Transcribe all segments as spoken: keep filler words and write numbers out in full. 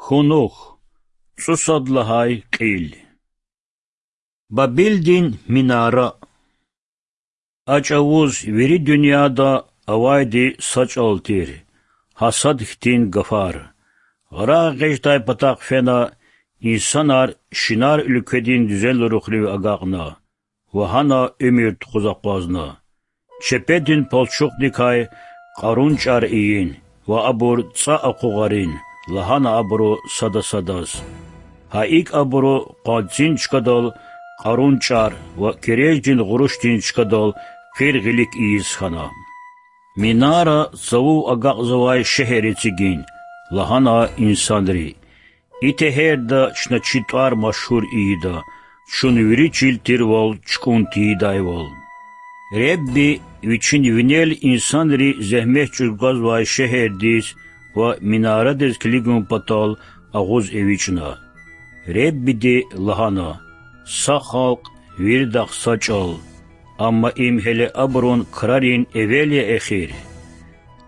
Кунух. ЦӀусад лагьай кьил. Бабилдин минара. А чӀавуз вири дуьньяда авайди са чӀал тир, гьасад хьтин гафар. Рагъ экъечӀдай патахъ фена, инсанар Шинар уьлкведин дуьзенлурухрив агакьна ва гьана уьмуьр тухуз акъвазна. Чепедин палчухдикай Къарун чӀар ийин ва абур цӀа акъугъарин, лагьана абуру сада-садаз. Гьа икӀ абуру къванцин чкадал Къарун чӀар ва кереждин гъурушдин чкадал къир гъилик ийиз хьана. Минара цавув агакьзавай шегьер эцигин, лагьана инсанри. И тегьерда чна чи тӀвар машгьур ийида, чун вири чил тирвал чукӀун тийидайвал. Ребби Вичин винел инсанри зегьмет чӀугвазвай шегьердиз ва минарадиз килигун патал агъуз эвичӀна. Реббиди лагьана: Са халкь, виридахъ са чӀал, амма им гьеле абурун крарин эвел я эхир.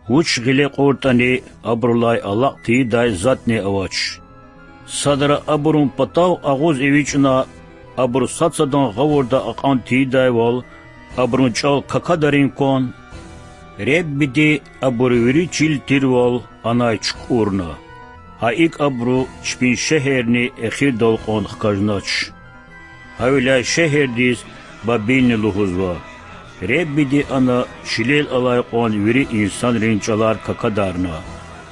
Вуч гъиле кьуртӀани, абурулай алакь тийидай затӀни авач. Садра абурун патав агъуз эвичӀна, абур сад-садан гъавурда акьван тийидайвал, абурун чӀал какадарин кван? Реббиди абур вири чил тирвал анай чукӀурна. Гьа икӀ абуру чпин шегьерни эхирдал кьван хкажнач. Гьавиляй шегьердиз Бабилни лугьузва. Реббиди ана чилел алай кьван вири инсанрин чӀалар какадарна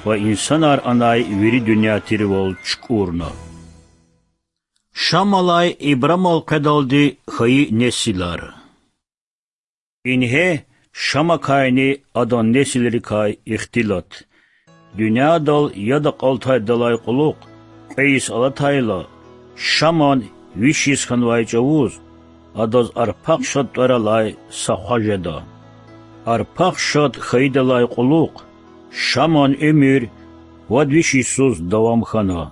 ва инсанар анай вири дуьнья тирвал чукӀурна. Шамалай Ибрамал къведалди хьайи несилар. Ингье Шамакайни адан несилрикай ихтилат. Дуьньядал яд акьалтайдалай кьулухъ кьве йис алатайла, Шаман виш йис хьанвай чӀавуз адаз Арпахшад тӀвар алай са хва жеда. Арпахшад хьайидалай кьулухъ Шаман уьмуьр вад виш йисуз давам хьана.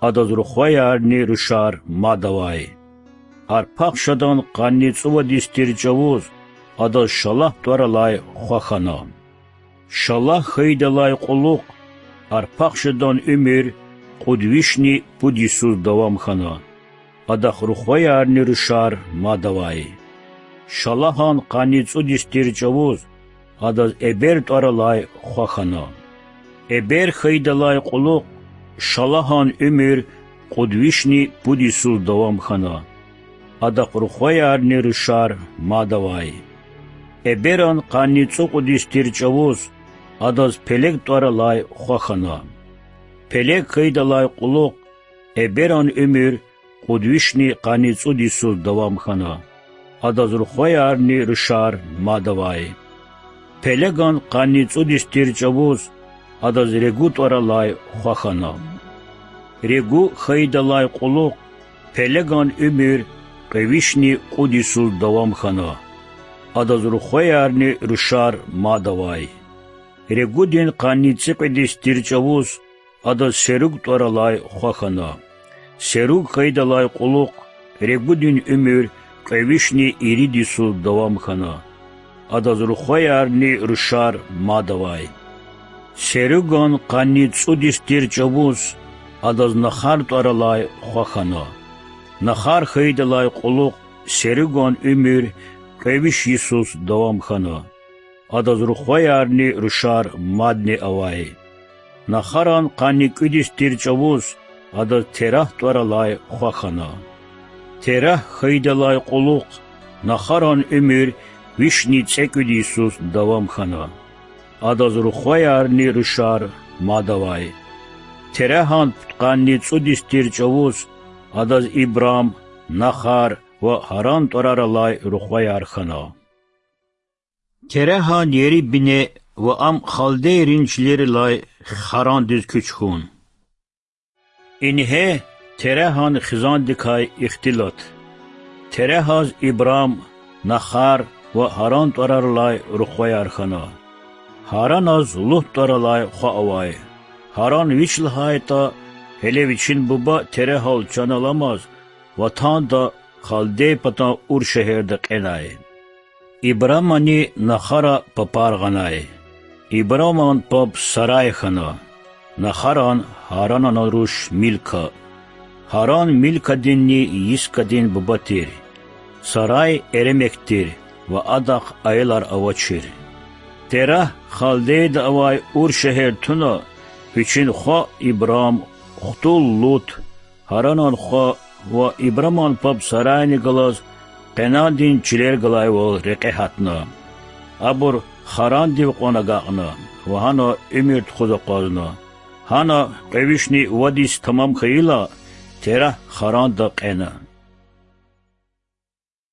Адаз рухваярни рушар мад авай. Арпахшадан къанни цӀувад йис тир чӀавуз адаз Шалагь тӀвар алай хва хьана. Шалагь хьайидалай кьулухъ Арпахшадан уьмуьр кьуд вишни пуд йисуз давам хьана. Адахъ рухваярни рушар мад авай. Шалагьан къанни цӀуд йис тир чӀавуз адаз Эбер тӀвар алай хва хьана. Эбер хьайидалай кьулухъ Шалагьан уьмуьр кьуд вишни пуд йисуз давам хьана. Адахъ рухваярни рушар мад авай. Эберан къанни цӀукьуд йис тир чӀавуз адаз Пелег тӀвар алай хва хьана. Пелег хьайидалай кьулухъ Эберан уьмуьр кьуд вишни къанни цӀуд йисуз давам хьана. Адаз рухваярни рушар мад авай. Пелеган къанни цӀуд йис тир чӀавуз адаз Регу тӀвар алай хва хьана. Регу хьайидалай кьулухъ Пелеган уьмуьр кьве вишни кьуд йисуз давам хьана. Адаз рухваярни рушар мад авай. Регудин къанни цӀикьвед йис тир чӀавуз адаз Серуг тӀвар алай хва хьана. Серуг хьайидалай кьулухъ Регудин уьмуьр кьве вишни ирид йисуз давам хьана. Адаз рухваярни рушар мад авай. Серуган къанни цӀуд йис тир чӀавуз адаз Нахар тӀвар алай хва хьана. Нахар хьайидалай кьулухъ Серуган уьмуьр кьве виш йисуз давам хьана. Адаз рухваярни рушар мадни авай. Нахаран къанни кӀуьд йис тир чӀавуз адаз Терагь тӀвар алай хва хьана. Терагь хьайидалай кьулухъ Нахаран уьмуьр вишни цӀекӀуьд йисуз давам хьана. Адаз рухваярни рушар мад авай. Терагьан пудкъанни цӀуд йис тир чӀавуз адаз Ибрам, Нахар ва Гьаран тӀварар алай рухваяр хьана. Терагьан ери бине ва ам халдейрин чилерилай Харандиз куьч хьун. Ингье Терагьан хизандикай ихтилат. Терагьаз Ибрам, Нахар ва Гьаран тӀварар алай рухваяр хьана. Гьараназ Лут тӀвар алай хва авай. Гьаран вич лагьайтӀа, гьеле вичин буба Терагьал чан аламаз, ватанда, халдей патан Ур шегьерда кьенай. Ибрамани Нахара папар гъанай. Ибраман паб Сарай хьана. Нахаран Гьаранан руш Милка. Гьаран Милкадинни Йискадин буба тир. Сарай эремек тир ва адахъ аялар авачир. Терагь халдейда авай Ур шегьер туна, вичин хва Ибрам, хтул Лут, Гьаранан хва ва Ибраман паб Сарайни галаз Къенандин чилер галайвал рекье гьатна. Абур Харандив кьван агакьна ва гьана уьмуьр тухуз акъвазна. Гьана кьве вишни вад йис тамам хьайила, Терагь Харанда кьена.